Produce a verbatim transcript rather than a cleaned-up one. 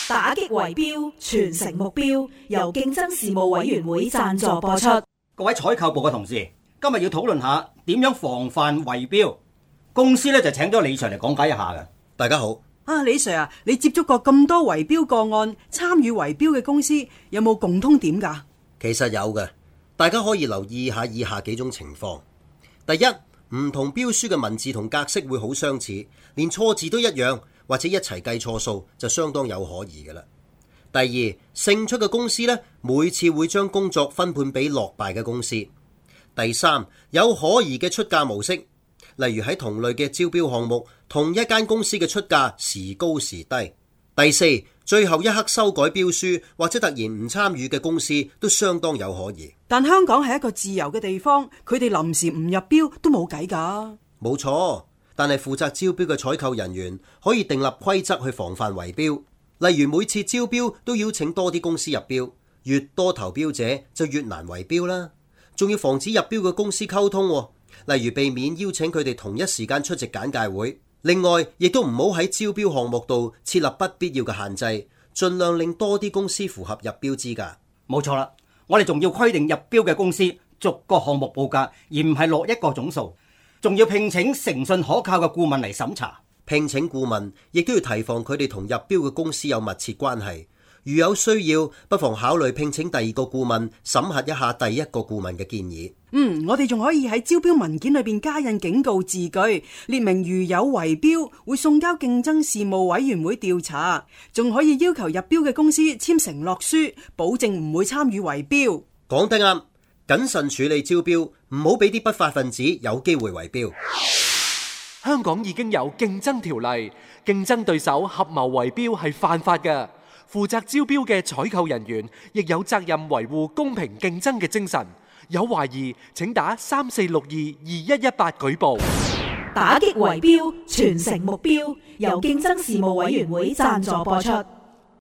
打擊圍標，全城目標，由競爭事務委員會贊助播出。各位採購部嘅同事，今日要討論下點樣防範圍標。公司咧就請咗李 Sir 嚟講解一下嘅。大家好。啊，李 Sir 啊，你接觸過咁多圍標個案，參與圍標嘅公司有冇共通點㗎？其實有嘅，大家可以留意下以下幾種情況。第一，唔同標書嘅文字同格式會好相似，連錯字都一樣，或者一齊計錯數，就相當有可疑㗎啦。第二，勝出嘅公司呢，每次會將工作分判俾落敗嘅公司。第三，有可疑嘅出價模式，例如喺同類嘅招標項目，同一間公司嘅出價時高時低。第四，最後一刻修改標書或者突然唔參與嘅公司都相當有可疑。但香港係一個自由嘅地方，佢哋臨時唔入標都冇計㗎。冇錯，但係負責招標嘅採購人員可以訂立規則去防範圍標，例如每次招標都邀請多啲公司入標，越多投標者就越難圍標啦。仲要防止入標嘅公司溝通，例如避免邀請佢哋同一時間出席簡介會。另外，亦都唔好喺招標項目度設立不必要嘅限制，盡量令多啲公司符合入標資格。冇錯啦，我哋仲要規定入標嘅公司逐個項目報價，而唔係落一個總數。仲要聘請誠信可靠嘅顧問嚟審查。聘請顧問亦都要提防佢哋同入標嘅公司有密切關係。如有需要，不妨考慮聘請第二個顧問審核一下第一個顧問嘅建議。嗯，我哋仲可以喺招標文件裏邊加印警告字句，列明如有圍標會送交競爭事務委員會調查，仲可以要求入標嘅公司簽承諾書，保證唔會參與圍標。講得啱，謹慎處理招標，唔好俾啲不法分子有機會圍標。香港已經有競爭條例，競爭對手合謀圍標係犯法嘅。負責招標嘅採購人員亦有責任維護公平競爭嘅精神。有懷疑請打三四六二二一一八舉報。打擊圍標，全城目標，由競爭事務委員會贊助播出。